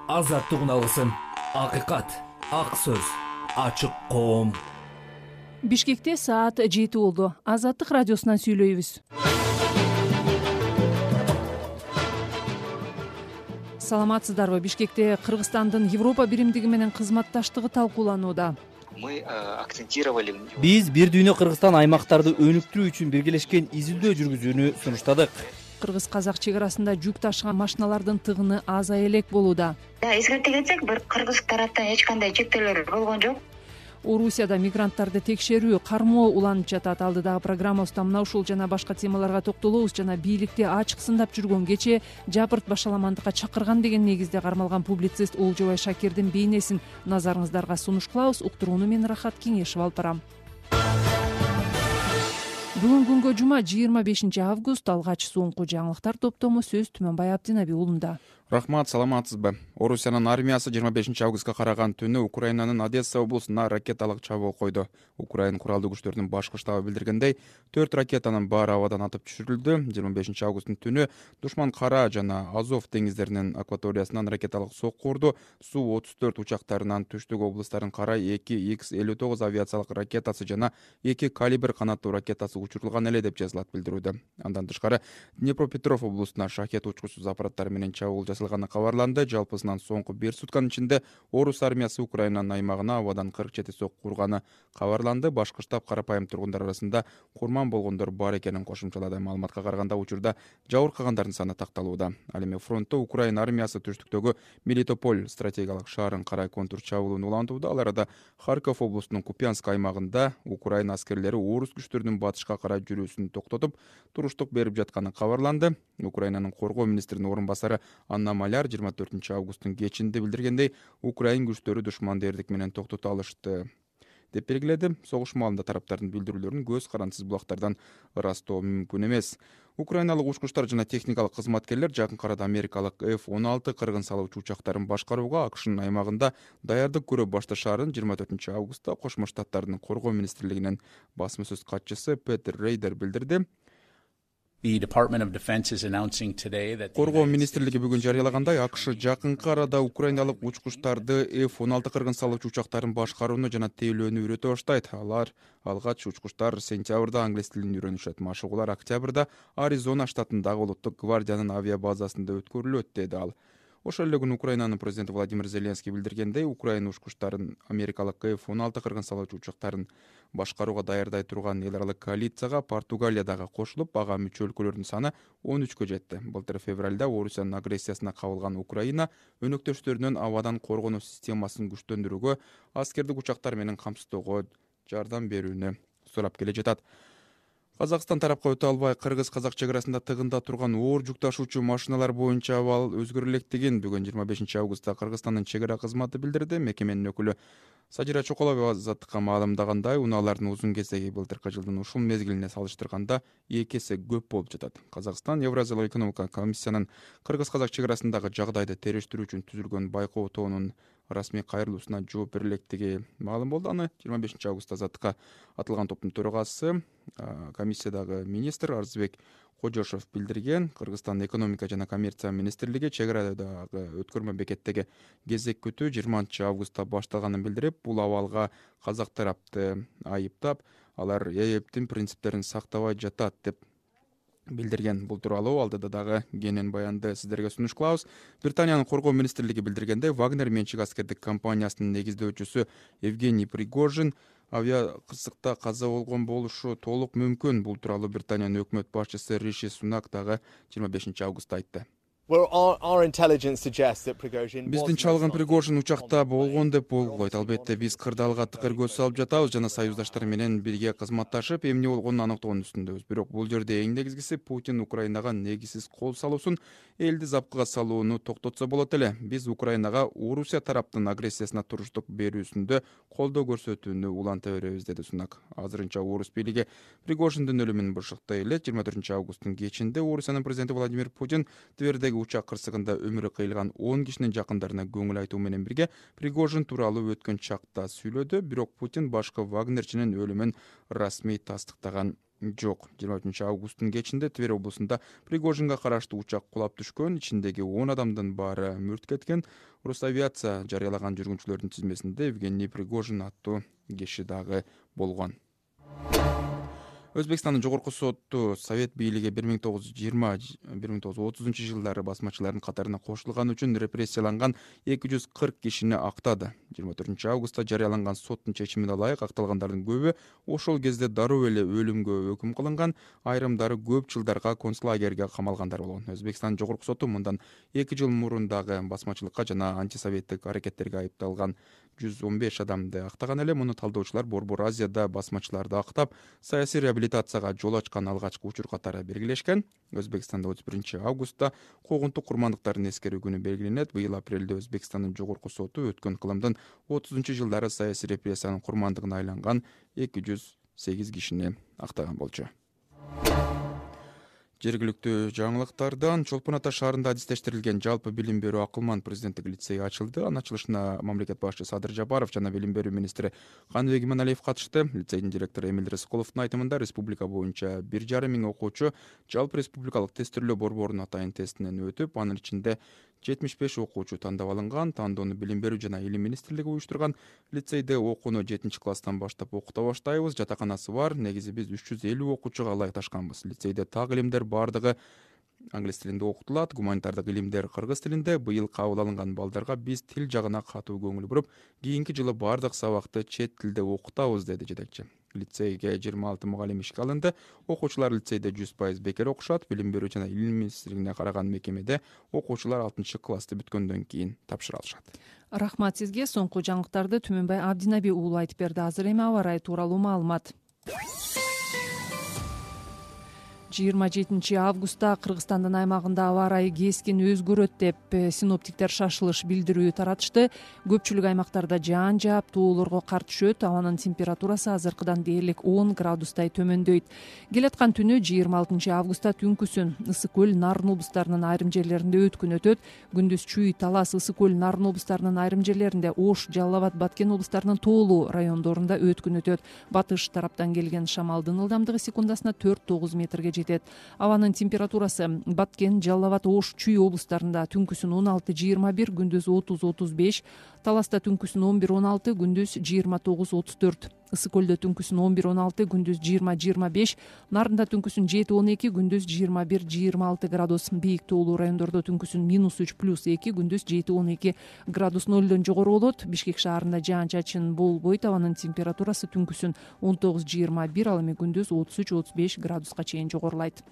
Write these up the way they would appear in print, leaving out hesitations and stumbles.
азаттык алгысын, акыйкат, ак сөз, ачык коом. Бишкекте саат 7 болду. Азаттык радиосунан сүйлөйбүз. Саламатсыздарбы? Бишкекте Кыргызстандын Европа биримдиги менен кызматташтыгы талкууланууда. Биз Бир дүйнө Кыргызстан аймактарды өнүктүрүү үчүн биргелешкен изилдөө жүргүзүүнү сунуштадык. Кыргыз-казак чек арасында жүк ташыган машиналардын тыгыны азая элек болууда. Эскерте кетсек, бир кыргыз тараптан эч кандай чектөөлөр болгон жок. Орусияда мигранттарды текшерүү, кармоо уланып жатат. Алдыдагы программабызда мына ушул жана башка темаларга токтолобуз. Жана бийликти ачык сындап жүргөн кечээ жапырт башаламандыкка чакырган деген негизде кармалган публицист Олжобай Шакирдин бейнесин назарыңыздарга сунуш кылабыз. Уктурууну мен Рахат Кеңешев алып барам. Бүгүн күнгө жума 25 август. Алгач соңку жаңылыктар топтому сөз Түмөнбай Абдинаби уулунда. Рахмат, саламатсызбы? Орусиянын армиясы 25 августка караган түнү Украинанын Одесса облусуна ракеталык чабуул койду. Украин куралдуу күчтөрүнүн башкы штабы билдиргендей, 4 ракетанын баары абадан атып түшүрүлдү. 25 августтун түнү душман Кара жана Азов деңиздеринин акваториясынан ракеталык сокку урду. Су-34 учактарынан түштүк облустарын карай 2 X-59 авиациялык ракетасы жана 2 калибр канаттуу ракетасы учурулган эле деп жазылат билдирүүдө. Андан тышкары Днепропетров облусуна шахет учкучсуз аппараттар менен чабуул жасалганы кабарланды. Жалпысынан соңку 1 сутканын ичинде Орус армиясы Украинанын аймагына абадан 47 сокку урганы кабарланды. Башкы штаб карапайым тургундар арасында курман болгондор бар экенин кошумчалады. Маалыматка караганда учурда жабыркагандардын саны такталууда. Ал эми фронтто Украин армиясы түштүктөгү Мелитополь стратегиялык шаарын карай контур чабуулун улантууда. Ал арада Харьков облусунун Купянск аймагында Украин аскерлери орус күчтөрүнүн батышка карай жүрүүсүн токтотуп, туруштук берип жатканы кабарланды. Украинанын коргоо министринин орун басары Анна Маляр 24 августтун кечинде билдиргендей, Украин күчтөрү душманды эрдик менен токтото алышты деп белгиледи. Согуш маалында тараптардын билдирүүлөрүн көз карандысыз булактардан ырастоо мүмкүн эмес. Украиналык учкучтар жана техникалык кызматкерлер жакынкы арада америкалык F-16 кыргын салуучу учактарын башкарууга АКШнын аймагында даярдык көрө башташаарын 24 августта Кошмо Штаттардын коргоо министрлигинин басма сөз катчысы Петер Рейдер билдирди. Коргоо министрлиги бүгүн жарыялагандай, АКШ жакынкы арада украиналык учкучтарды F-16 кыргын салуучу учактарын башкарууну жана тейлөөнү үйрөтө баштайт. Алар алгач учкучтар сентябрда англис тилин үйрөнүшөт. Машыгуулар октябрда Аризона штатындагы улуттук гвардиянын авиабазасында өткөрүлөт, деди ал. Ошол эле күнү Украинанын президенти Владимир Зеленский билдиргендей, Украина учкучтарын америкалык F-16 кыргын салуучу учактарын башкарууга даярдай турган эл аралык коалицияга Португалия дагы кошулуп, ага мүчө өлкөлөрдүн саны 13кө жетти. Былтыр февралда Орусиянын агрессиясына кабылган Украина өнөктөштөрүнөн абадан коргонуу системасын күчтөндүрүүгө, аскердик учактар менен камсыздоого жардам берүүнү сурап келе жатат. Казакстан тарапка өтө албай кыргыз-казак чек арасында тыгында турган оор жүк ташуучу машиналар боюнча абал өзгөрө электигин бүгүн 25 августта Кыргызстандын чек ара кызматы билдирди. Мекеменин өкүлү Сажира Чоколова Азаттыкка маалымдагандай, унаалардын узун кезеги былтыркы жылдын ушул мезгилине салыштырганда 2 эсе көп болуп жатат. Казакстан Евразиялык экономикалык комиссиянын кыргыз-казак чек арасындагы жагдайды териштирүү үчүн түзүлгөн байкоо тобунун расмий кайрылуусуна жооп бере электиги маалым болду. Аны 25 августта Азаттыкка атылган топтун төрагасы, комиссиядагы министр Арзыбек Кожошов билдирген. Кыргызстандын экономика жана коммерция министрлиги чек арадагы өткөрмө бекеттеги кезек күтүү 20 августта башталганын билдирип, бул абалга казак тарапты айыптап, алар ЭЭБтин принциптерин сактабай жатат деп билдирген. Бул тууралуу алдыда дагы кенен баянды сиздерге сунуш кылабыз. Британиянын коргоо министрлиги билдиргендей, Вагнер менчик аскердик компаниясынын негиздөөчүсү Евгений Пригожин авиа кырсыкта каза болгон болушу толук мүмкүн. Бул тууралуу Британиянын өкмөт башчысы Риши Сунак дагы 25 августта айтты. Биздин чалгын Пригожин учакта болгон деп болбойт. Албетте биз кырдаалга тыкыр көз салып жатабыз жана союздаштар менен бирге кызматташып, эмне болгонун аныктоонун үстүндөбүз. Бирок бул жерде эң негизгиси Путин Украинага негизсиз кол салуусун, элди запкыга салууну токтотсо болот эле. Биз Украинага Орусия тараптын агрессиясына туруштук берүүсүндө колдоо көрсөтүүнү уланта беребиз, деди Сунак. Азырынча орус бийлиги Пригожиндин өлүмүн бышыктай эле. 24 августтун кечинде Орусиянын президенти Владимир Путин Твердеги учак кырсыгында өмүрү кыйылган 10 кишинин жакындарына көңүл айтуу менен бирге Пригожин тууралуу өткөн чакта сүйлөдү. Бирок Путин башкы вагнерчинин өлүмүн расмий тастыктаган жок. 23 августтун кечинде Тверь облусунда Пригожинге караштуу учак кулап түшкөн, ичиндеги 10 адамдын баары мүрт кеткен. Росавиация жарыялаган жүргүнчүлөрдүн тизмесинде Евгений Пригожин аттуу киши дагы болгон. Өзбекстандын жогорку соту Совет бийлиги 1920-1930 жылдары басмачылардын катарына кошулганы үчүн репрессияланган 240 кишини актады. 24 августта жарыяланган соттун чечимине ылайык акталгандардын көбү ошол кезде дароо эле өлүмгө өкүм кылынган, айрымдары көп жылдарга концлагерге камалгандар болгон. Өзбекстан жогорку соту мындан 2 жыл мурун дагы басмачылыкка жана антисоветтик аракеттерге айыпталган 115 адамды актаган эле. Муну талдоочулар Борбор Азияда басмачыларды актап, саясий реабилитацияга жол ачкан алгачкы учур катары белгилешкен. Өзбекстанда 31 августта куугунтук курмандыктардын эскерүү күнү белгиленет. Быйыл апрелде Өзбекстандын жогорку соту өткөн кылымдын 30-жылдары саясий репрессиянын курмандыгына айланган 208 кишини актаган болчу. Жергиликтүү жаңылыктардан Чолпон Ата шаарында адистештирилген жалпы билим берүү акылман президенттик лицей ачылды. Анын ачылышына мамлекет башчысы Садыр Жапаров жана билим берүү министри Каныбек Иманалиев катышты. Лицейдин директору Эмиль Рыскуловдун айтымында республика боюнча 1,5 миң окуучу жалпы республикалык тестирлөө борборунун атайын тестинен өтүп, анын ичинде 75 окуучу тандап алынган. Тандоону билим берүү жана илим министрлиги уюштурган. Лицейде окууну 7-класстан баштап окута баштайбыз. Жатаканасы бар. Негизи биз 350 окуучуга ылайыкташканбыз. Лицейде так илимдер бардыгы англис тилинде окутулат, гуманитардык илимдер кыргыз тилинде. Быйыл кабыл алынган балдарга биз тил жагына катуу көңүл буруп, кийинки жылы бардык сабакты чет тилде окутабыз, деди жетекчи. Лицейге 26 мугалим ишке алынды. Окуучулар лицейде 100% бекер окушат. Билим берүү жана илим министрлигине караган мекемеде окуучулар 6-классты бүткөндөн кийин тапшыра алышат. Рахмат сизге. Соңку жаңылыктарды Түмөнбай Абдинаби уулу айтып берди. Азыр эми аба ырайы тууралуу маалымат. 27 августта Кыргызстандын аймагында аба ырайы кескин өзгөрөт деп синоптиктер шашылыш билдирүү таратышты. Көпчүлүк аймактарда жаан жаап, тоолорго кар түшөт. Абанын температурасы азыркыдан дээрлик 10 градустай төмөндөйт. Келаткан түнү 26 августта түнкүсүн Ысык көл, Нарын облустарынын айрым жерлеринде өткүн өтөт. Күндүз Чүй, Талас, Ысык көл, Нарын облустарынын айрым жерлеринде, Ош, Жалал Абад, Баткен облустарынын тоолуу райондорунда өткүн өтөт. Батыш тараптан келген шамалдын ылдамдыгы секундасына 4-9 метрге жетет. Абанын температурасы Баткен, Жалал Абад, Ош, Чүй облустарында түнкүсүн 16-21, күндүз 30-35, Таласта түнкүсүн 11-16, күндүз 29-34, Ысык көлдө түнкүсүн 11-16, күндүз 20-25, Нарында түнкүсүн 7-12, күндүз 21-26 градус, бийик тоолуу райондордо түнкүсүн -3+2, күндүз 7-12 градус нөлдөн жогору болот. Бишкек шаарында жаан-чачын болбойт. Абанын температурасы түнкүсүн 19-21, ал эми күндүз 33-35 градуска чейин жогорулайт.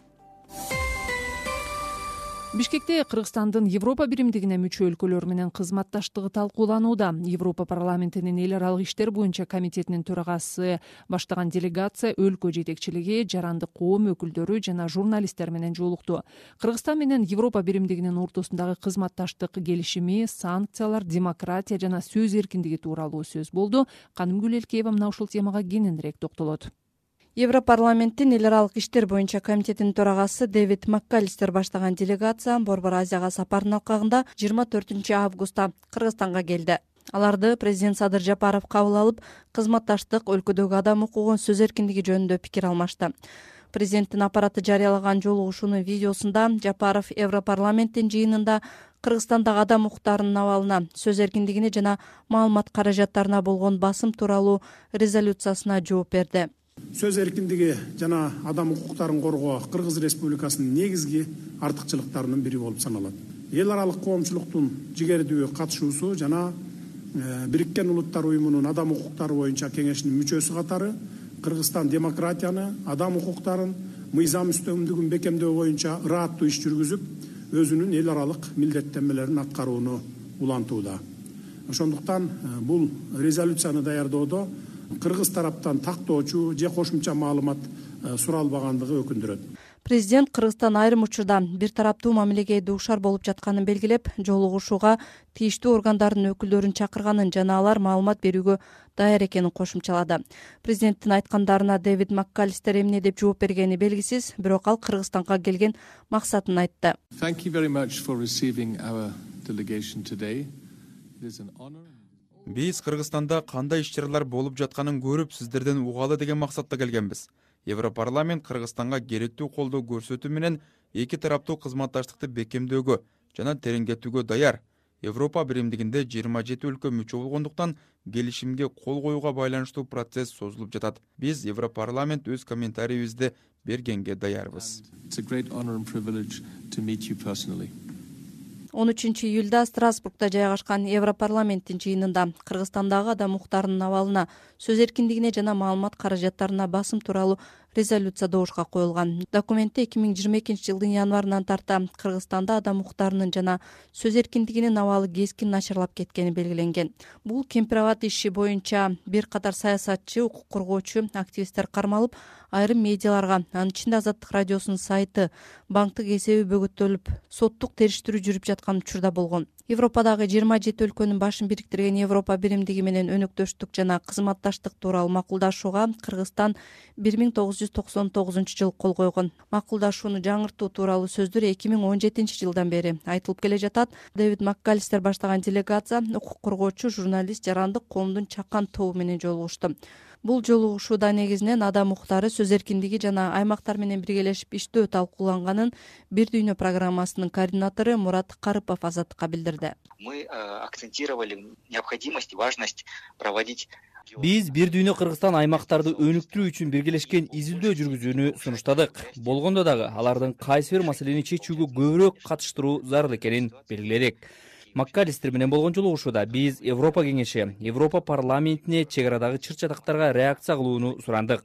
Бишкекте Кыргызстандын Европа биримдигине мүчө өлкөлөр менен кызматташтыгы талкууланууда. Европа парламентинин эл аралык иштер боюнча комитетинин төрагасы баштаган делегация өлкө жетекчилиги, жарандык коом өкүлдөрү жана журналисттер менен жолукту. Кыргызстан менен Европа биримдигинин ортосундагы кызматташтык келишими, санкциялар, демократия жана сөз эркиндиги тууралуу сөз болду. Канымгүл Элкеева мына ушул темага кененирээк токтолот. Европарламенттин эл аралык иштер боюнча комитетинин төрагасы Дэвид Маккалистер баштаган делегация Борбор Азияга сапардын алкагында 24 августта Кыргызстанга келди. Аларды президент Садыр Жапаров кабыл алып, кызматташтык, өлкөдөгү адам укугун, сөз эркиндиги жөнүндө пикир алмашты. Президенттин аппараты жарыялаган жолугушуунун видеосунда Жапаров Европарламенттин жыйынында Кыргызстандагы адам укуктарынын абалына, сөз эркиндигине жана маалымат каражаттарына болгон басым тууралуу резолюциясына жооп берди. Сөз эркиндиги жана адам укуктарын коргоо Кыргыз Республикасынын негизги артыкчылыктарынын бири болуп саналат. Эл аралык коомчулуктун жигердүү катышуусу жана Бириккен Улуттар уюмунун адам укуктары боюнча кеңешинин мүчөсү катары Кыргызстан демократияны, адам укуктарын, мыйзам үстөмдүгүн бекемдөө боюнча ырааттуу иш жүргүзүп, өзүнүн эл аралык милдеттенмелерин аткарууну улантууда. Ошондуктан бул резолюцияны даярдоодо Кыргыз тараптан тактоочу же кошумча маалымат суралбагандыгы өкүндүрөт. Президент Кыргызстан айрым учурда бир тараптуу мамилеге дуушар болуп жатканын белгилеп, жолугушууга тийиштүү органдардын өкүлдөрүн чакырганын жана алар маалымат берүүгө даяр экенин кошумчалады. Президенттин айткандарына Дэвид Маккалистер эмне деп жооп бергени белгисиз, бирок ал Кыргызстанга келген максатын айтты. Биз Кыргызстанда кандай иш-чаралар болуп жатканын көрүп, сиздерден угалы деген максатта келгенбиз. Европарламент Кыргызстанга керектүү колдоо көрсөтүү менен эки тараптуу кызматташтыкты бекемдөөгө жана тереңдетүүгө даяр. Европа биримдигинде 27 өлкө мүчө болгондуктан келишимге кол коюуга байланыштуу процесс созулуп жатат. Биз Европарламент өз комментарийибизди бергенге даярбыз. 13-июлда Страсбургда жайгашкан Европарламенттин жыйынында Кыргызстандагы адам укуктарынын абалына, сөз эркиндигине жана маалымат каражаттарына басым тууралуу резолюция добушка коюлган. Документте 2022-жылдын январынан тарта Кыргызстанда адам укуктарынын жана сөз эркиндигинин абалы кескин начарлап кеткени белгиленген. Бул Кемпир-Абад иши боюнча бир катар саясатчы, укук коргоочу, активисттер кармалып, айрым медиаларга, анын ичинде Азаттык радиосунун сайты, банктык эсеби бөгөттөлүп, соттук териштирүү жүрүп жаткан учурда болгон. Европадагы 27 өлкөнүн башын бириктирген Европа биримдиги менен өнөктөштүк жана кызматташтык тууралуу макулдашууга Кыргызстан 1999-жылы кол койгон. Макулдашууну жаңыртуу тууралуу сөздөр 2017-жылдан бери айтылып келе жатат. Дэвид Маккалистер баштаган делегация укук коргоочу, журналист, жарандык коомдун чакан тобу менен жолугушту. Бул жолугушууда негизинен адам укуктары, сөз эркиндиги жана аймактар менен биргелешип иштөө талкууланганын Бир дүйнө программасынын координатору Мурат Карыпов Азаттыкка билдирди. Мы акцентировали необходимость и важность проводить. Биз Бир дүйнө Кыргызстан аймактарды өнүктүрүү үчүн биргелешкен изилдөө жүргүзүүнү сунуштадык. Болгондо дагы алардын кайсы бир маселени чечүүгө көбүрөөк катыштыруу зарыл экенин белгиледик. Маккалистер менен болгон жолугушууда биз Европа кеңеши, Европа парламентине чек арадагы чыр-чатактарга реакция кылууну сурандык.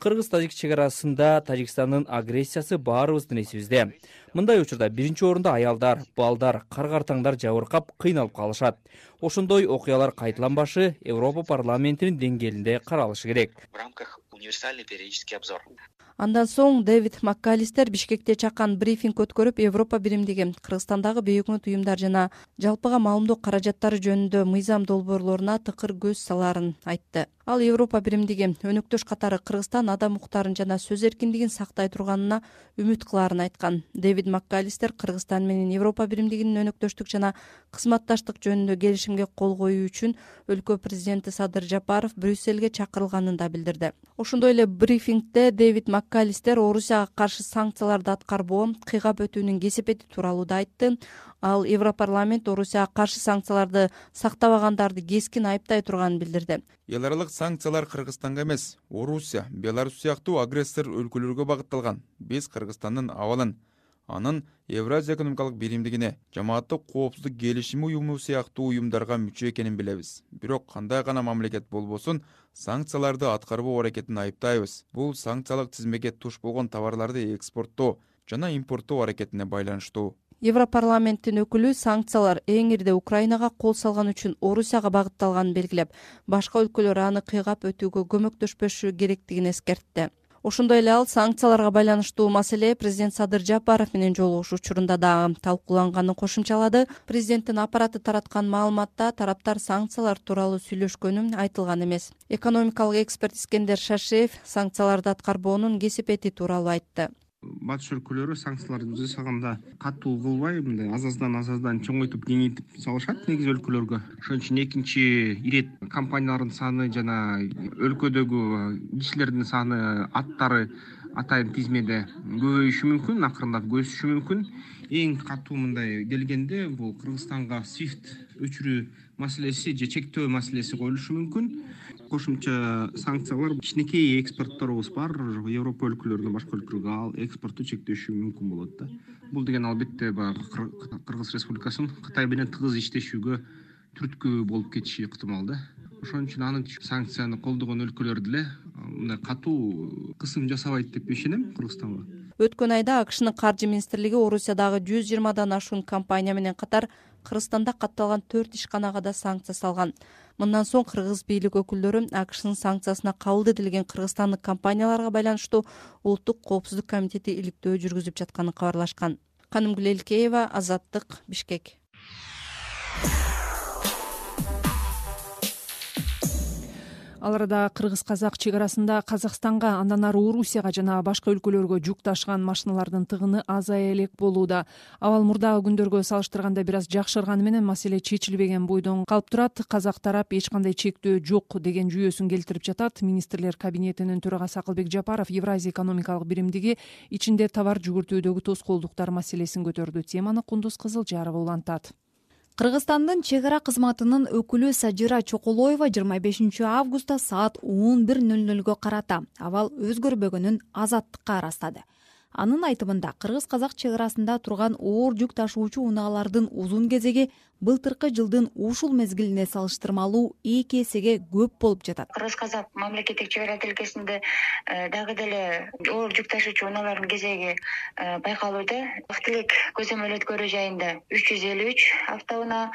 Кыргыз-тажик чек арасында Тажикстандын агрессиясы баарыбыздын эсибизде. Мындай учурда биринчи орунда аялдар, балдар, кар-картаңдар жабыркап, кыйналып калышат. Ошондой окуялар кайталанбашы Европа парламентинин деңгээлинде каралышы керек. В рамках универсальный периодический обзор. Андан соң Дэвид Маккалистер Бишкекте чакан брифинг өткөрүп, Европа биримдиги Кыргызстандагы бейөкмөт уюмдар жана жалпыга маалымдоо каражаттары жөнүндө мыйзам долбоорлоруна тыкыр көз салаарын айтты. Ал Европа биримдиги өнөктөш катары Кыргызстан адам укуктарын жана сөз эркиндигин сактай турганына үмүт кылаарын айткан. Дэвид Маккалистер Кыргызстан менен Европа биримдигинин өнөктөштүк жана кызматташтык жөнүндө келишимге кол коюу үчүн өлкө президенти Садыр Жапаров Брюссельге чакырылганын да билдирди. Ошондой эле брифингде Дэвид Маккалистер Орусияга каршы санкцияларды аткарбоо, кыйгап өтүүнүн кесепети тууралуу да айтты. Ал Европарламент Орусияга каршы санкцияларды сактабагандарды кескин айыптай турганын билдирди. Эл аралык санкциялар Кыргызстанга эмес, Орусия, Беларусь сыяктуу агрессор өлкөлөргө багытталган. Биз Кыргызстандын абалын, анын Евразия экономикалык биримдигине, жамааттык коопсуздук келишими уюму сыяктуу уюмдарга мүчө экенин билебиз. Бирок кандай гана мамлекет болбосун, санкцияларды аткарбоо аракетин айыптайбыз. Бул санкциялык тизмеге туш болгон товарларды экспорттоо жана импорттоо аракетине байланыштуу. Европарламенттин өкүлү санкциялар эң ирде Украинага кол салган үчүн Орусияга багытталганын белгилеп, башка өлкөлөр аны кыйгап өтүүгө көмөктөшпөшү керектигин эскертти. Ошондой эле ал санкцияларга байланыштуу маселе президент Садыр Жапаров менен жолугушуу учурунда дагы талкууланганын кошумчалады. Президенттин аппараты тараткан маалыматта тараптар санкциялар тууралуу сүйлөшкөнү айтылган эмес. Экономикалык эксперт Искендер Шашеев санкцияларды аткарбоонун кесепети тууралуу айтты. Батыш өлкөлөрү санкцияларды жасаганда катуу кылбай, мындай азаздан чоңойтуп, кеңейтип салышат негизи өлкөлөргө. Ошон үчүн экинчи ирет компаниялардын саны жана өлкөдөгү кишилердин саны, аттары атайын тизмеде көбөйүшү мүмкүн, акырындап өсүшү мүмкүн. Эң катуу мындай келгенде бул Кыргызстанга SWIFT өчүрүү маселеси же чектөө маселеси коюлушу мүмкүн. Кошумча санкциялар кичинекей экспортторубуз бар, Европа өлкөлөрүнөн башка өлкөлөргө ал экспортту чектеши мүмкүн болот да. Бул деген албетте Кыргыз Республикасынын Кытай менен тыгыз иштешүүгө түрткү болуп кетиши ыктымал да. Ошон үчүн аны санкцияны колдогон өлкөлөр деле мындай катуу кысым жасабайт деп ишенем Кыргызстанга. Өткөн айда АКШнын каржы министрлиги Орусиядагы 120дан ашуун компания менен катар Кыргызстанда катталган 4 ишканага да санкция салган. Мындан соң кыргыз бийлик өкүлдөрү АКШнын санкциясына кабыл этилген кыргызстандык компанияларга байланыштуу Улуттук коопсуздук комитети иликтөө жүргүзүп жатканын кабарлашкан. Канымгүл Элкеева, Азаттык, Бишкек. Ал арада кыргыз-казак чек арасында Казакстанга, андан ары Орусияга жана башка өлкөлөргө жүк ташыган машиналардын тыгыны азая элек болууда. Абал мурдагы күндөргө салыштырганда бир аз жакшырганы менен маселе чечилбеген бойдон калып турат. Казак тарап эч кандай чектөө жок деген жүйөсүн келтирип жатат. Министрлер кабинетинин төрагасы Акылбек Жапаров Евразия экономикалык биримдиги ичинде товар жүгүртүүдөгү тоскоолдуктар маселесин көтөрдү. Теманы Кундуз Кызылжарова улантат. Кыргызстандын чек ара кызматынын өкүлү Сажира Чоколоева 25 августта саат 11:00 карата абал өзгөрбөгөнүн Азаттыкка ырастады. Анын айтымында кыргыз-казак чек арасында турган оор жүк ташуучу унаалардын узун кезеги былтыркы жылдын ушул мезгилине салыштырмалуу 2 эсеге көп болуп жатат. Кыргыз-казак мамлекеттик чек ара тилкесинде дагы деле оор жүк ташуучу унаалардын кезеги байкалууда. Актилек көзөмөл өткөрүү жайында 353 автоунаа,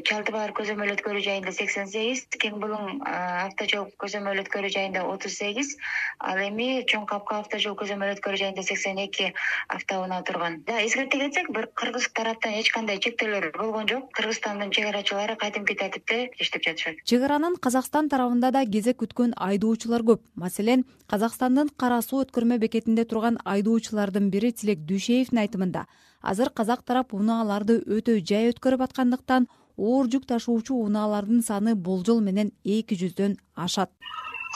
Чалды баар көзөмөл өткөрүү жайында 88, Кең булуң автожол көзөмөл өткөрүү жайында 38, ал эми Чоң Капка автожол көзөмөл өткөрүү жайында 82 автоунаа турган. Эскерте кетсек, бир кыргыз тараптан эч кандай чектөөлөр болгон жок. Кыргызстандын чек арачылары кадимки тартипте иштеп жатышат. Чек аранын Казакстан тарабында да кезек күткөн айдоочулар көп. Маселен, Казакстандын Кара суу өткөрмө бекетинде турган айдоочулардын бири Тилек Дүйшеевдин айтымында, азыр казак тарап унааларды өтө жай өткөрүп аткандыктан оор жүк ташуучу унаалардын саны болжол менен 200дөн ашат.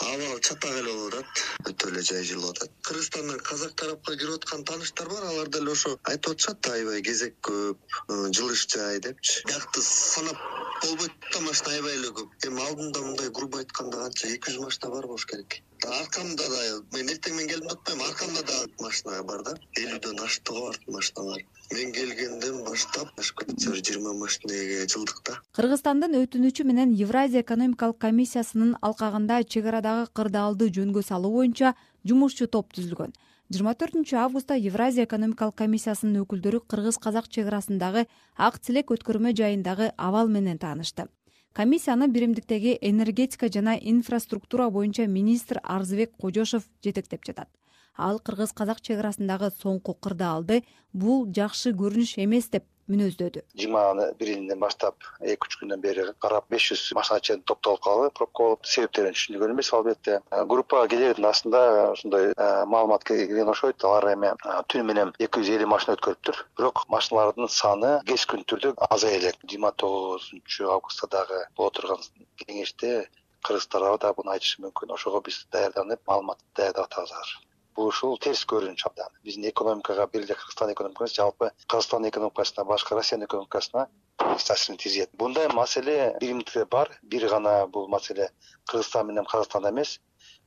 Абал чатак эле болуп атат, өтө эле жай жылып атат. Кыргызстандан казак тарапка кирип аткан тааныштар бар, алар деле ошо айтып атышат, аябай кезек көп, жылыш жай депчи. Биякты санап болбойт да, машина аябай эле көп. Эми алдында мындай грубо айтканда канча 200 машина бар болуш керек. Аркамда да, мен эртең менен келдим деп атпайм, аркамда да машина бар да, 50дөн ашты го машиналар. Мен келгенден баштап ашып кетти, 20 машинеге жылдык да. Кыргызстандын өтүнүчү менен Евразия экономикалык комиссиясынын алкагында чек арадагы кырдаалды жөнгө салуу боюнча жумушчу топ түзүлгөн. 24 августта Евразия экономикалык комиссиясынын өкүлдөрү кыргыз-казак чек арасындагы ак тилек өткөрмө жайындагы абал менен таанышты. Комиссияны биримдиктеги энергетика жана инфраструктура боюнча министр Арзыбек Кожошов жетектеп жатат. Ал кыргыз-казак чек арасындагы соңку кырдаалды бул жакшы көрүнүш эмес деп мүнөздөдү. 21-инден баштап 2-3 күндөн бери карап 500 машина чейин топтолуп калды, пробка болуп, себептерин түшүндүргөн эмес албетте. Группа келердин астында ушундай маалымат келген окшойт. Алар эми түнү менен 250 машина өткөрүптүр. Бирок машиналардын саны кескин түрдө азая элек. 29 августта дагы боло турган кеңеште кыргыз тарабы да буну айтышы мүмкүн. Ошого биз даярданып, маалымат даярдап атабыз. Бул ушул терс көрүнүш абдан. Биздин экономикага бир эле Кыргызстан экономикасы, жалпы Кыргызстан экономикасына, башка Россиянын экономикасына таасирин тийгизет. Бундай маселе биримдикте бар. Бир гана бул маселе Кыргызстан менен Казакстанда эмес,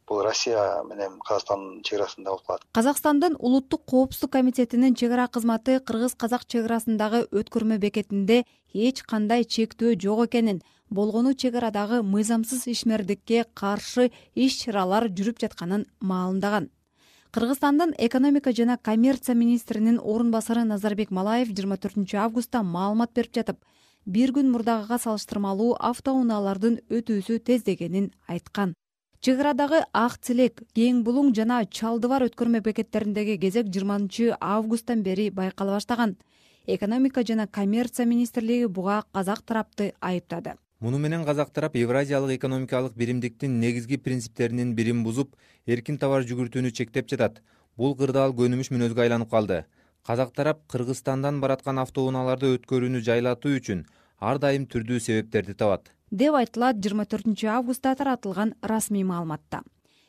бул Россия менен Казакстандын чек арасында болуп калат. Казакстандын улуттук коопсуздук комитетинин чек ара кызматы кыргыз-казак чек арасындагы өткөрмө бекетинде эч кандай чектөө жок экенин, болгону чек арадагы мыйзамсыз ишмердикке каршы иш-чаралар жүрүп жатканын маалымдаган. Кыргызстандын экономика жана коммерция министринин орун басары Назарбек Малаев 24 августта маалымат берип жатып, бир күн мурдагыга салыштырмалуу автоунаалардын өтүүсү тездегенин айткан. Чек арадагы Ак Тилек, Кең булуң жана Чалды баар өткөрмө бекеттериндеги кезек 20 августтан бери байкала баштаган. Экономика жана коммерция министрлиги буга казак тарапты айыптады. Муну менен казак тарап Евразиялык экономикалык биримдиктин негизги принциптеринин бирин бузуп, эркин товар жүгүртүүнү чектеп жатат. Бул кырдаал көнүмүш мүнөзгө айланып калды. Казак тарап Кыргызстандан бараткан автоунааларды өткөрүүнү жайлатуу үчүн ар дайым түрдүү себептерди табат, деп айтылат 24 августта таратылган расмий маалыматта.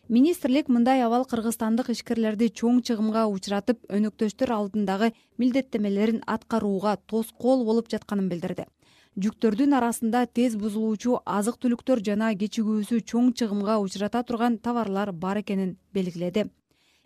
Министрлик мындай абал кыргызстандык ишкерлерди чоң чыгымга учуратып, өнөктөштөр алдындагы милдеттемелерин аткарууга тоскоол болуп жатканын билдирди. Жүктөрдүн арасында тез бузулуучу азык-түлүктөр жана кечигүүсү чоң чыгымга учурата турган товарлар бар экенин белгиледи.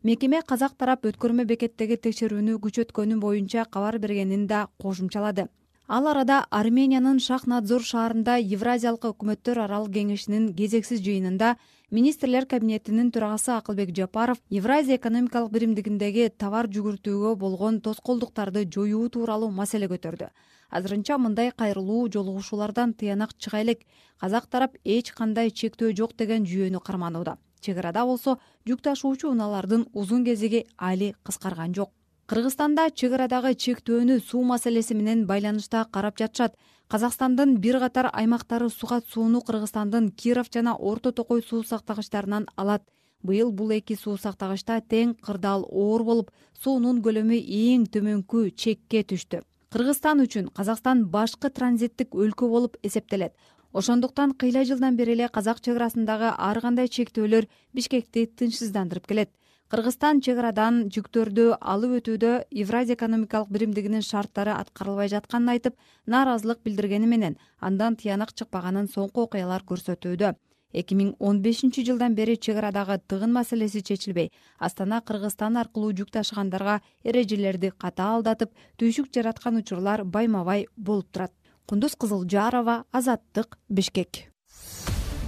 Мекеме казак тарап өткөрмө бекеттеги текшерүүнү күчөткөнү боюнча кабар бергенин да кошумчалады. Ал арада Армениянын Шахнадзор шаарында Евразиялык өкмөттөр аралык кеңешинин кезексиз жыйынында министрлер кабинетинин төрагасы Акылбек Жапаров Евразия экономикалык биримдигиндеги товар жүгүртүүгө болгон тоскоолдуктарды жоюу тууралуу маселе көтөрдү. Азырынча мындай кайрылуу жолугушуулардан тыянак чыга элек, казак тарап эч кандай чектөө жок деген жүйөнү карманууда. Чек арада болсо жүк ташуучу унаалардын узун кезеги али кыскарган жок. Кыргызстанда чек арадагы чектөөнү суу маселеси менен байланышта карап жатышат. Казакстандын бир катар аймактары сугат сууну Кыргызстандын Киров жана Орто Токой суу сактагычтарынан алат. Быйыл бул эки суу сактагычта тең кырдаал оор болуп, суунун көлөмү эң төмөнкү чекке түштү. Кыргызстан үчүн Казакстан башкы транзиттик өлкө болуп эсептелет. Ошондуктан кыйла жылдан бери эле казак чек арасындагы ар кандай чектөөлөр Бишкекти тынчсыздандырып келет. Кыргызстан чек арадан жүктөрдү алып өтүүдө Евразия экономикалык биримдигинин шарттары аткарылбай жатканын айтып, нааразылык билдиргени менен андан тыянак чыкпаганын соңку окуялар көрсөтүүдө. 2015 жылдан бери чек арадагы тыгын маселеси чечилбей, Астана Кыргызстан аркылуу жүк ташыгандарга эрежелерди катаалдатып, түйшүк жараткан учурлар байма-бай болуп турат. Кундуз Кызылжарова, Азаттык, Бишкек.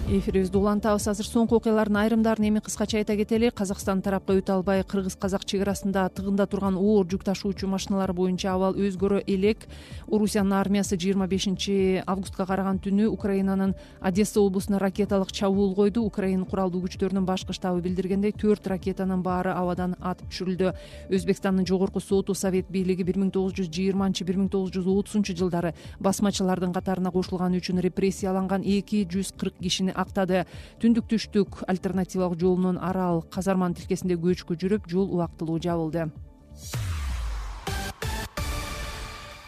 Эфирибизди улантабыз. Азыр соңку окуялардын айрымдарын эми кыскача айта кетели. Казакстан тарапка өтө албай кыргыз-казак чек арасында тыгында турган оор жүк ташуучу машиналар боюнча абал өзгөрө элек. Орусиянын армиясы 25 августка караган түнү Украинанын Одесса облусуна ракеталык чабуул койду. Украина куралдуу күчтөрүнүн башкы штабы билдиргендей, 4 ракетанын баары абадан атып түшүрүлдү. Өзбекстандын жогорку соту Совет бийлиги 1920-1930 жылдары басмачылардын катарына кошулганы үчүн репрессияланган 240 кишини актады. Түндүк түштүк альтернативалык жолунун Арал Казарман тилкесинде көчкү жүрүп, жол убактылуу жабылды.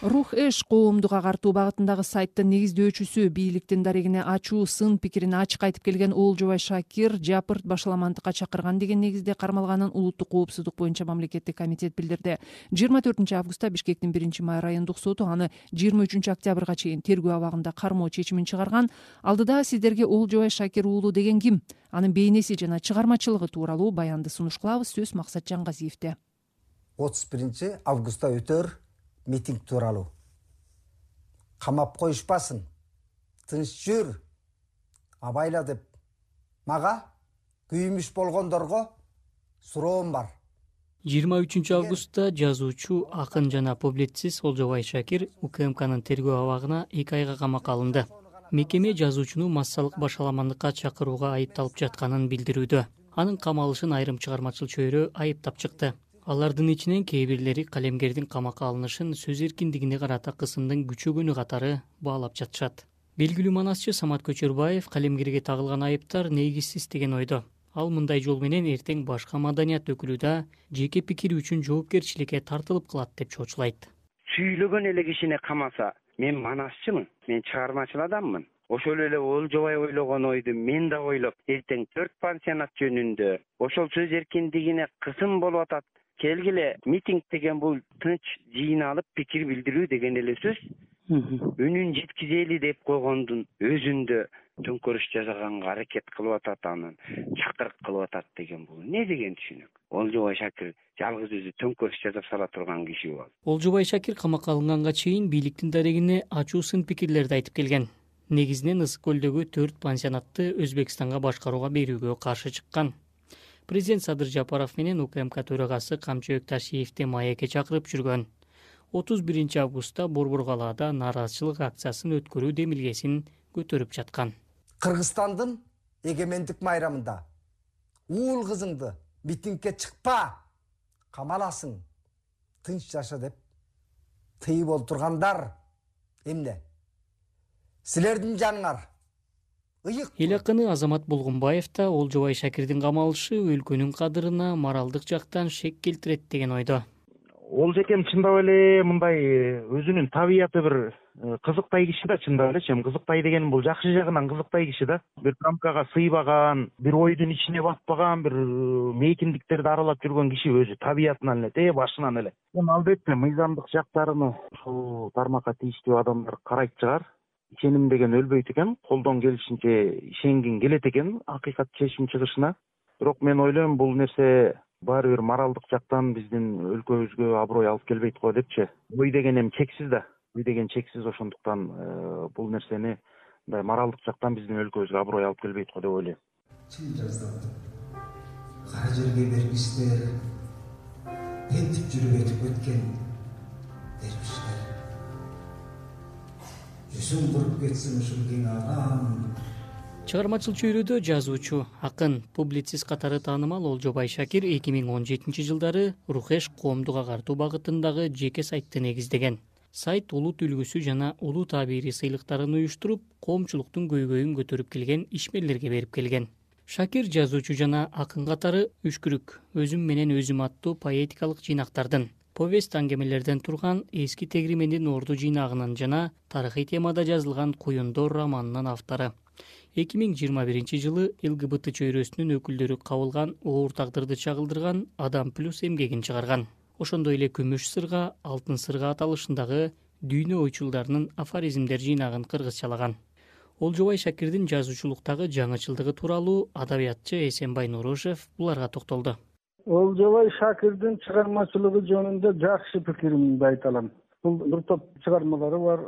Рух Эш коомдук агартуу багытындагы сайттын негиздөөчүсү, бийликтин дарегине ачуу сын пикирин ачык айтып келген Олжобай Шакир Жапырт башаламандыкка чакырган деген негизде кармалганын Улуттук коопсуздук боюнча мамлекеттик комитет билдирди. 24 августта Бишкектин 1-май райондук соту аны 23 октябрга чейин тергөө абагында кармоо чечимин чыгарган. Алдыда сиздерге Олжобай Шакир уулу деген ким? Анын бейнеси жана чыгармачылыгы тууралуу баянды сунуш кылабыз. Сөз Максат Жангазиевде. 31 августта өтөр митинг тууралуу. Камап коюшпасын, тынч жүр, абайла деп мага күйүмүш болгондорго суроом бар. 23 августта жазуучу, акын жана публицист Олжобай Шакир УКМКнын тергөө абагына 2 айга камакка алынды. Мекеме жазуучуну массалык башаламандыкка чакырууга айыпталып жатканын билдирүүдө. Анын камалышын айрым чыгармачыл чөйрө айыптап чыкты. Алардын ичинен кээ бирлери калемгердин камакка алынышын сөз эркиндигине карата кысымдын күчөгөнү катары баалап жатышат. Белгилүү манасчы Самат Көчөрбаев калемгерге тагылган айыптар негизсиз деген ойдо. Ал мындай жол менен эртең башка маданият өкүлү да жеке пикири үчүн жоопкерчиликке тартылып калат деп чоочулайт. Сүйлөгөн эле кишини камаса, мен манасчымын, мен чыгармачыл адаммын. Ошол эле Олжобай ойлогон ойду мен да ойлоп, эртең 4 пансионат жөнүндө ошол сөз эркиндигине кысым болуп атат. Келгиле, митинг деген бул тынч жыйналып пикир билдирүү деген эле сөз. Үнүн жеткизели деп койгондун өзүндө төңкөрүш жасаганга аракет кылып атат, анын чакырык кылып атат деген бул эмне деген түшүнүк? Олжобай Шакир жалгыз өзү төңкөрүш жасап сала турган киши бол. Олжобай Шакир камакка алынганга чейин бийликтин дарегине ачуу сын пикирлерди айтып келген. Негизинен Ысык көлдөгү 4 пансионатты Өзбекстанга башкарууга берүүгө каршы чыккан. Президент Садыр Жапаров менен УКМК төрагасы Камчы Өкташиевди маекке чакырып жүргөн. 31 августта Борбор калаада нааразычылык акциясын өткөрүү демилгесин көтөрүп жаткан. Кыргызстандын эгемендик майрамында уул кызыңды митингге чыкпа, камаласың, тынч жаша деп тыйып олтургандар эмне? Силердин жаныңар Эл акыны Азамат Болгунбаев да Олжобай Шакирдин камалышы өлкөнүн кадырына моралдык жактан шек келтирет деген ойдо. Олжекем чындап эле мындай өзүнүн табияты бир кызыктай киши да, чындап эле. Кызыктай деген бул жакшы жагынан кызыктай киши да. Бир рамкага сыйбаган, бир ойдун ичине батпаган, бир мейкиндиктерди аралап жүргөн киши өзү табиятынан эле, башынан эле. Албетте мыйзамдык жактарыны ушул тармакка тийиштүү адамдар карайт чыгар. Ишеним деген өлбөйт экен, колдон келишинче ишенгин келет экен акыйкат чечим чыгышына. Бирок мен ойлойм бул нерсе баары бир моралдык жактан биздин өлкөбүзгө аброй алып келбейт го депчи. Ой деген эми чексиз да. Ой деген чексиз, ошондуктан бул нерсени мындай моралдык жактан биздин өлкөбүзгө аброй алып келбейт го деп ойлойм. Чын жаздап кара жерге бергичтер, ентип жүрүп өтүп өткөн дербиштер. Жүзүң куруп кетсин ушул кең агам, Чыгармачыл чөйрөдө жазуучу, акын, публицист катары таанымал Олжобай Шакир 2017-жылдары Рухеш коомдук агартуу багытындагы жеке сайтты негиздеген. Сайт улут үлгүсү жана улуу табири сыйлыктарын уюштуруп, коомчулуктун көйгөйүн көтөрүп келген ишмерлерге берип келген. Шакир жазуучу жана акын катары Үшкүрүк, өзүм менен өзүм аттуу поэтикалык жыйнактардын, повесть аңгемелерден турган Эски тегримендин орду жыйнагынын жана тарыхый темада жазылган Куюндор романынын автору. 2021-жылы ЛГБТ чөйрөсүнүн өкүлдөрү кабылган оор тагдырды чагылдырган Адам плюс эмгегин чыгарган. Ошондой эле Күмүш сырга, Алтын сырга аталышындагы дүйнө ойчулдарынын афоризмдер жыйнагын кыргызчалаган. Олжобай Шакирдин жазуучулуктагы жаңычылдыгы тууралуу адабиятчы Эсенбай Нурушев буларга токтолду. Олжобай Шакирдин чыгармачылыгы жөнүндө жакшы пикиримди айта алам. Бул бир топ чыгармалары бар.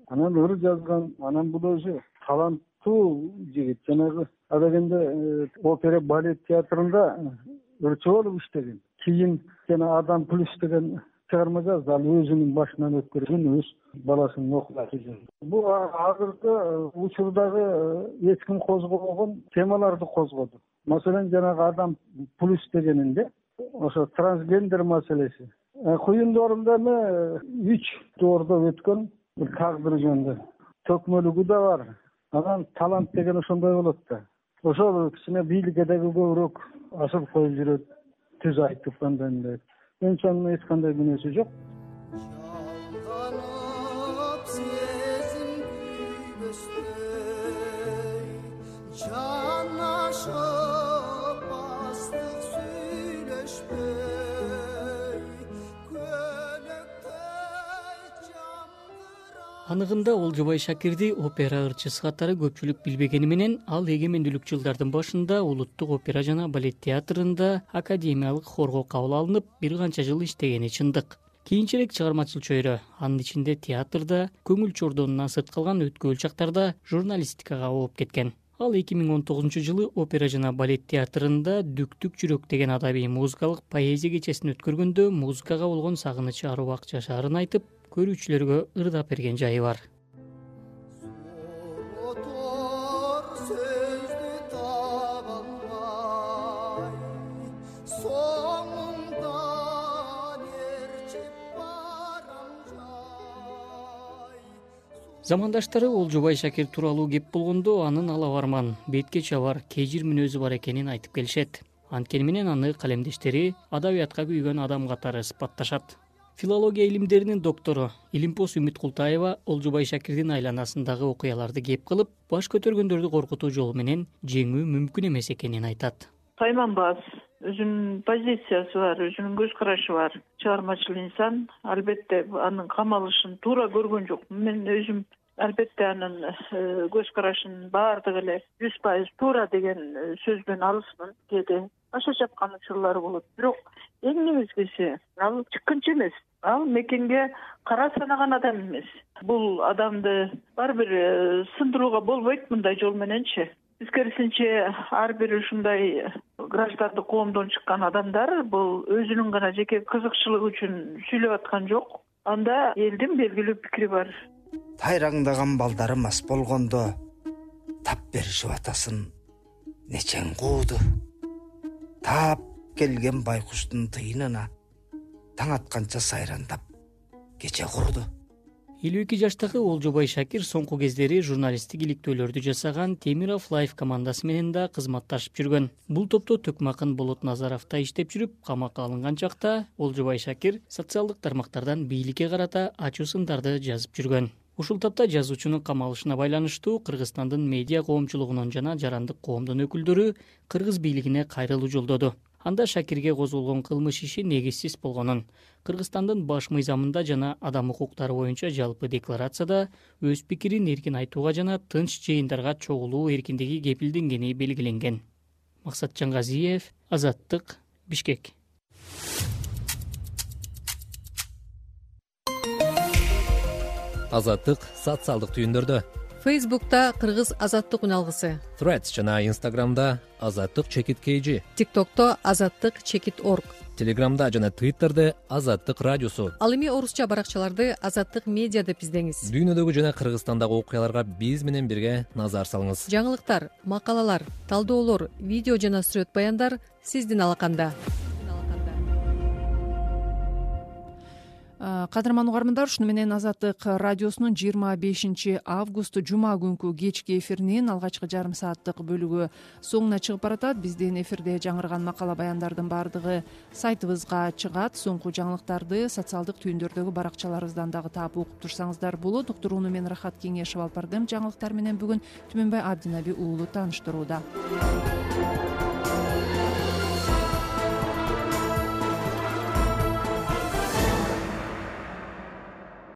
Анан ыр жазган, анан бул өзү таланттуу жигит. Жанагы адегенде опера балет театрында ырчы болуп иштеген. Кийин жана Адам плюс деген чыгарма жазды. Ал өзүнүн башынан өткөргөн өз баласынын окуясы. Бул азыркы учурдагы эч ким козгобогон темаларды козгоду. Маселен, жанагы Адам плюс дегенинде ошо трансгендер маселеси. Куюндорунда 3 доордо өткөн тагдыр жөнүндө төкмөлүгү да бар. Анан талант деген ошондой болот да. Ошол кичине бийликке дагы көбүрөөк ашып коюп жүрөт. Түз айтып кандай. Менчи анын эч кандай күнөөсү жок. Анығында Олжобай Шакирди опера ырчысы катары көпчүлүк билбегени менен, ал эгемендүүлүк жылдардын башында Улуттук опера жана балет театрында академиялык хорго кабыл алынып, бир канча жыл иштегени чындык. Кийинчерээк чыгармачыл чөйрө, анын ичинде театрда, көңүл чордонунан сырт калган өткөөл чактарда журналистикага ооп кеткен. Ал 2019-жылы опера жана балет театрында Дүктүк жүрөк деген адабий музыкалык поэзия кечесин өткөргөндө музыкага болгон сагынычы аруак жашаарын айтып, көрүүчүлөргө ырдап берген жайы бар. Замандаштары Олжобай Шакир тууралуу кеп болгондо анын алабарман, бетке чабар, кежир мүнөзү бар экенин айтып келишет. Анткени менен аны калемдештери адабиятка күйгөн адам катары сыпатташат. Филология илимдеринин доктору Илимпос Үмүт Култаева Олжобай Шакирдин айланасындагы окуяларды кеп кылып, баш көтөргөндөрдү коркутуу жолу менен жеңүү мүмкүн эмес экенин айтат. Тайманбас, өзүнүн позициясы бар, өзүнүн көз карашы бар. Чыгармачыл инсан, албетте анын камалышын туура көргөн жокмун. Мен өзүм албетте анын көз карашынын баардыгы эле 100% туура деген сөзбөн алысмын. Кээде аша чапкан учурлары болот. Бирок эң негизгиси, ал чыккынчы эмес. Ал мекенге кара санаган адам эмес. Бул адамды ар бир сындырууга болбойт мындай жол мененчи. Тескерисинче, ар бир ушундай граждандык коомдон чыккан адамдар бул өзүнүн гана жеке кызыкчылыгы үчүн сүйлөп аткан жок. Анда элдин белгилүү пикири бар. Тайраңдаган балдары мас болгондо тап беришип атасын нечең кууду. Таап келген байкуштун тыйынына таң атканча сайрандап кече курду. 52 жаштагы Олжобай Шакир соңку кездери журналисттик иликтөөлөрдү жасаган Темиров Лайф командасы менен да кызматташып жүргөн. Бул топто Төкмакын Болот Назаров да иштеп жүрүп, камакка алынган чакта Олжобай Шакир социалдык тармактардан бийликке карата ачуу сындарды жазып жүргөн. Ушул тапта жазуучунун камалышына байланыштуу Кыргызстандын медиа коомчулугунун жана жарандык коомдун өкүлдөрү кыргыз бийлигине кайрылуу жолдоду. Анда Шакирге козголгон кылмыш иши негизсиз болгонун, Кыргызстандын баш мыйзамында жана адам укуктары боюнча жалпы декларацияда өз пикирин эркин айтууга жана тынч жыйындарга чогулуу эркиндиги кепилденгени белгиленген. Максат Жаңгазиев, Азаттык, Бишкек. Азаттык социалдык түйүндөрдө. Фейсбукта Кыргыз Азаттык үналгысы, Threads жана Instagramда Азаттык чекит KG, TikTokто Азаттык чекит org, Телеграмда жана Twitterде Азаттык радиосу. Ал эми орусча баракчаларды Азаттык медиа деп издеңиз. Дүйнөдөгү жана Кыргызстандагы окуяларга биз менен бирге назар салыңыз. Жаңылыктар, макалалар, талдоолор, видео жана сүрөт баяндар сиздин алаканда. Кадырман угармандар, ушуну менен Азаттык радиосунун 25 август жума күнкү кечки эфиринин алгачкы жарым сааттык бөлүгү соңуна чыгып баратат. Биздин эфирде жаңырган макала баяндардын баардыгы сайтыбызга чыгат. Соңку жаңылыктарды социалдык түйүндөрдөгү баракчаларыбыздан дагы таап окуп турсаңыздар болот. Уктурууну мен Рахат Кеңешев алып бардым. Жаңылыктар менен бүгүн Түмөнбай Абдинаби уулу тааныштырууда.